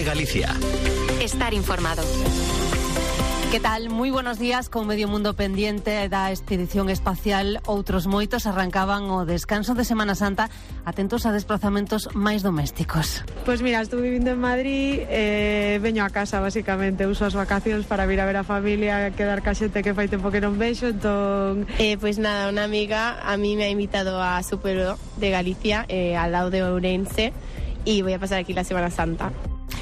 Cope Galicia. Estar informado. Que tal? Moi buenos días. Con medio mundo pendiente da expedición espacial, outros moitos arrancaban o descanso de Semana Santa atentos a desplazamentos máis domésticos. Pois mira, estuve vivindo en Madrid, veño a casa basicamente, uso as vacacións para vir a ver a familia, quedar ca xente que fai tempo que non vexo, entón... Pues nada, una amiga a mí me ha invitado a su pueblo de Galicia, al lado de Ourense, y voy a pasar aquí la Semana Santa.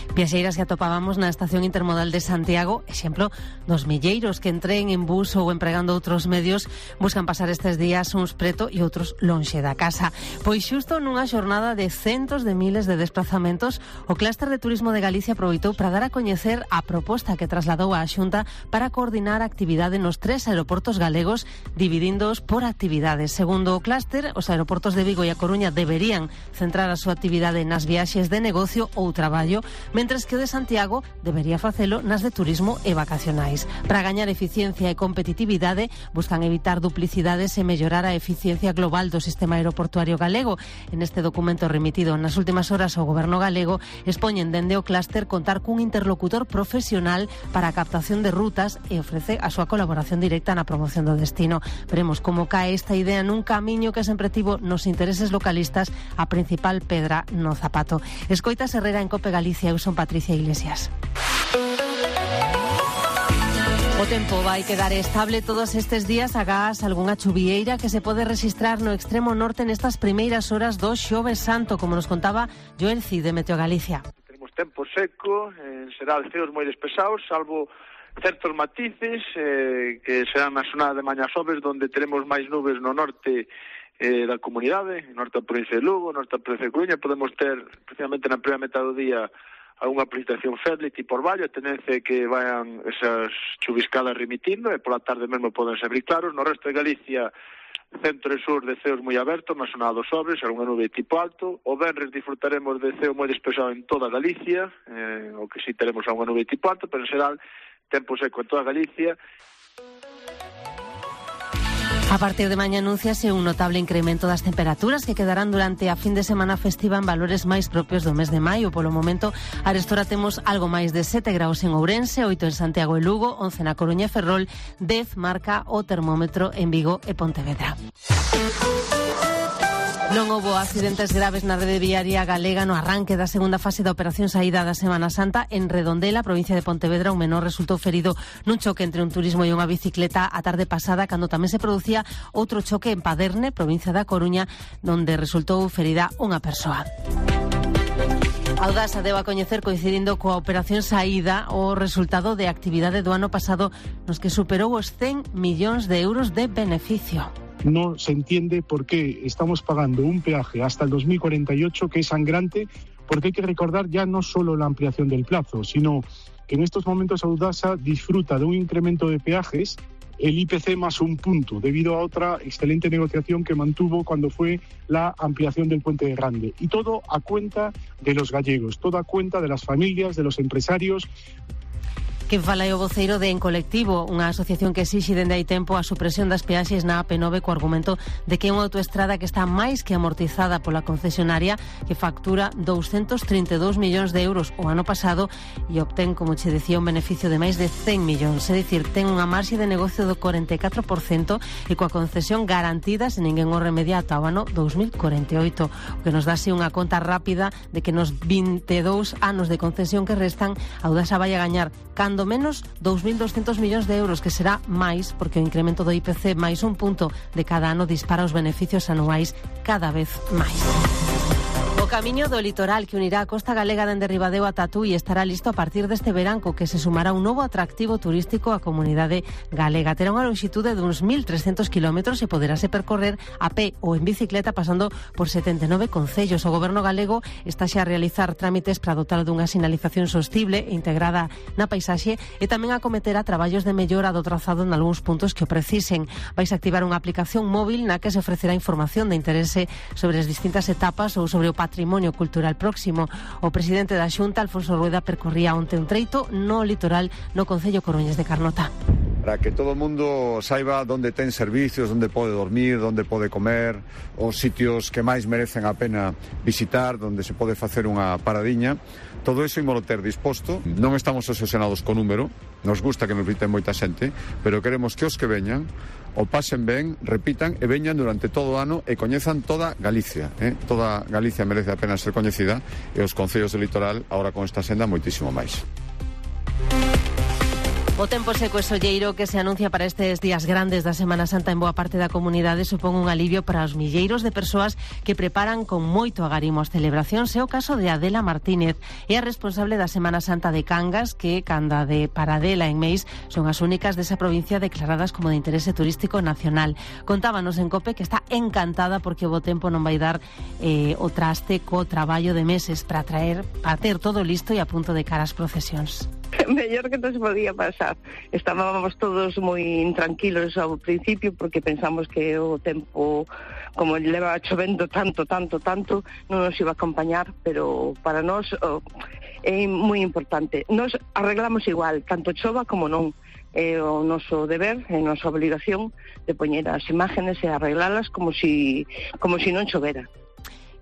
Viaxeiras que atopábamos na estación intermodal de Santiago, exemplo dos milleiros que entren en bus ou empregando outros medios buscan pasar estes días uns preto e outros lonxe da casa. Pois xusto nunha xornada de centos de miles de desplazamentos, o Clúster de Turismo de Galicia aproveitou para dar a coñecer a proposta que trasladou a Xunta para coordinar a actividade nos 3 aeroportos galegos, dividíndoos por actividades. Segundo o Clúster, os aeroportos de Vigo e a Coruña deberían centrar a súa actividade nas viaxes de negocio ou traballo, mentres que o de Santiago debería facelo nas de turismo e vacacionais. Para gañar eficiencia e competitividade, buscan evitar duplicidades e mellorar a eficiencia global do sistema aeroportuario galego. En este documento remitido nas últimas horas ao Goberno galego, expoñen dende o Clúster contar cun interlocutor profesional para a captación de rutas e ofrece a súa colaboración directa na promoción do destino. Veremos como cae esta idea nun camiño que sempre tivo nos intereses localistas a principal pedra no zapato. Escoitas Herrera en Cope Galicia. Eu son Patricia Iglesias. O tempo vai quedar estable todos estes días agás algunha chuvieira que se pode registrar no extremo norte nestas primeiras horas do Xoves Santo, como nos contaba Joel Cid de Meteo Galicia. Tenemos tempo seco, en xeral ceos moi despesados, salvo certos matices que serán na zona de mañá xoves, donde teremos máis nubes no norte da comunidade, norte da provincia de Lugo, norte da provincia de Coruña. Podemos ter, precisamente na primeira metade do día, algunha precipitación feble tipo orvallo, a tendencia é que vayan esas chuviscadas remitindo, e pola tarde mesmo poden ser claros. No resto de Galicia, centro e sur, de ceos moi abertos, na zona dos Sobres, algunha nube tipo alto. O venres disfrutaremos de ceo moi despexado en toda Galicia, o que si teremos algunha nube tipo alto, pero en xeral, tempo seco en toda Galicia. A partir de mañá anunciase un notable incremento das temperaturas que quedarán durante a fin de semana festiva en valores máis propios do mes de maio. Polo momento, arestora temos algo máis de 7 graus en Ourense, 8 en Santiago e Lugo, 11 na Coruña e Ferrol, 10 marca o termómetro en Vigo e Pontevedra. Non houbo accidentes graves na rede viaria galega no arranque da segunda fase da operación saída da Semana Santa. En Redondela, provincia de Pontevedra, un menor resultou ferido nun choque entre un turismo e unha bicicleta a tarde pasada, cando tamén se producía outro choque en Paderne, provincia da Coruña, onde resultou ferida unha persoa. Audasa deu a coñecer, coincidindo coa operación saída, o resultado de actividade do ano pasado, nos que superou os 100 millóns de euros de beneficio. No se entiende por qué estamos pagando un peaje hasta el 2048 que es sangrante, porque hay que recordar ya no solo la ampliación del plazo, sino que en estos momentos Audasa disfruta de un incremento de peajes, el IPC más un punto, debido a otra excelente negociación que mantuvo cuando fue la ampliación del Puente de Grande. Y todo a cuenta de los gallegos, todo a cuenta de las familias, de los empresarios. Que fala o voceiro de En Colectivo, unha asociación que exixe dende hai tempo a supresión das peaxes na AP9 co argumento de que é unha autoestrada que está máis que amortizada pola concesionaria, que factura 232 millóns de euros o ano pasado e obtén, como che decía, un beneficio de máis de 100 millóns. É dicir, ten unha marxe de negocio do 44% e coa concesión garantida se ninguén o remedia ata o ano 2048, o que nos dá así unha conta rápida de que nos 22 anos de concesión que restan, Audasa vai a gañar cando menos 2.200 millóns de euros, que será máis porque o incremento do IPC máis un punto de cada ano dispara os beneficios anuais cada vez máis. O camiño do litoral que unirá a costa galega dende Ribadeo a Tatuí estará listo a partir deste veranco, que se sumará un novo atractivo turístico á comunidade galega. Terá unha longitude de uns 1.300 kilómetros e poderase percorrer a pé ou en bicicleta pasando por 79 concellos. O goberno galego está xa a realizar trámites para dotar dunha sinalización sostible e integrada na paisaxe e tamén acometerá traballos de mellora do trazado en algúns puntos que o precisen. Vais a activar unha aplicación móvil na que se ofrecerá información de interese sobre as distintas etapas ou sobre o patrimonio cultural próximo. O presidente da Xunta, Alfonso Rueda, percorría onte un treito no litoral no concello Coruñas de Carnota. para que todo o mundo saiba onde ten servicios, onde pode dormir, onde pode comer, os sitios que máis merecen a pena visitar, onde se pode facer unha paradiña. Todo iso ímolo ter disposto. Non estamos obsesionados co número, nos gusta que nos visiten moita xente, pero queremos que os que veñan o pasen ben, repitan e veñan durante todo o ano e coñezan toda Galicia. Toda Galicia merece a pena ser coñecida e os concellos do litoral, agora con esta senda, moitísimo máis. O tempo seco e solleiro que se anuncia para estes días grandes da Semana Santa en boa parte da comunidade supón un alivio para os milleiros de persoas que preparan con moito agarimo as celebracións. É o caso de Adela Martínez, é a responsable da Semana Santa de Cangas, que canda de Paradela en Meis son as únicas desa provincia declaradas como de interese turístico nacional. Contábanos en COPE que está encantada porque o bo tempo non vai dar o traste co traballo de meses para ter todo listo e a punto de cara ás procesións. Mellor que nos podía pasar. Estábamos todos moi intranquilos ao principio porque pensamos que o tempo, como leva chovendo tanto, non nos iba a acompañar, pero para nós é moi importante. Nos arreglamos igual, tanto chova como non. É o noso deber, é a nosa obligación de poñer as imágenes e arreglalas como si non chovera.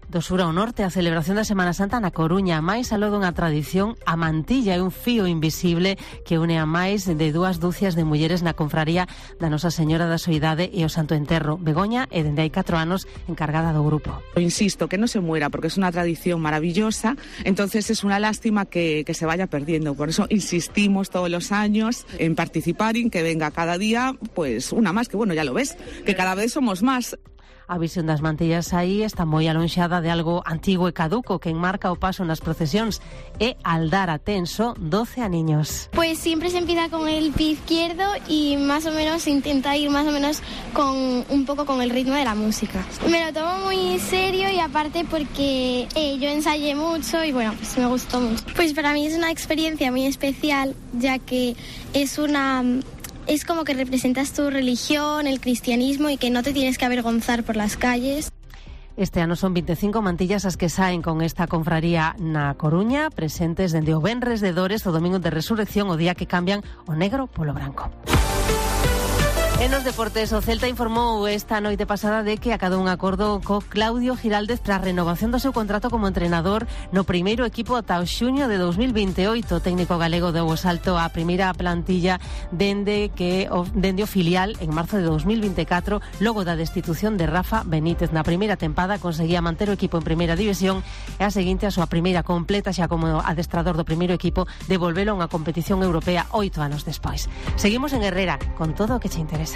Do sur ao norte, a celebración da Semana Santa na Coruña, máis aló dunha tradición, a mantilla é un fío invisible que une a máis de 2 dúcias de mulleres na confraría da Nosa Señora da Soidade e o Santo Enterro. Begoña é dende hai 4 anos encargada do grupo. Insisto, que no se muera, porque es una tradición maravillosa, entonces es una lástima que se vaya perdiendo. Por eso insistimos todos los años en participar y en que venga cada día, pues una más, que bueno, ya lo ves, que cada vez somos más. A visión das mantillas aí está moi alonxada de algo antigo e caduco que enmarca o paso nas procesións. É Aldara Tenso, 12 aniños. Pues siempre se empieza con el pie izquierdo y más o menos se intenta ir más o menos un poco con el ritmo de la música. Me lo tomo muy serio y aparte porque yo ensayé mucho y bueno, pues me gustó mucho. Pues para mí es una experiencia muy especial, ya que es como que representas tu religión, el cristianismo y que no te tienes que avergonzar por las calles. Este ano son 25 mantillas as que saen con esta confraría na Coruña, presentes dende o Venres de Dores, o Domingo de Resurrección, o día que cambian o negro polo branco. En os deportes, o Celta informou esta noite pasada de que acadou un acordo co Claudio Giraldez para a renovación do seu contrato como entrenador no primeiro equipo ata o xuño de 2028. O técnico galego deu o salto á primeira plantilla dende o filial en marzo de 2024, logo da destitución de Rafa Benítez. Na primeira tempada conseguía manter o equipo en primeira división e a seguinte a súa primeira completa xa como adestrador do primeiro equipo, devolvelo a unha competición europea 8 anos despois. Seguimos en Herrera con todo o que che interesa.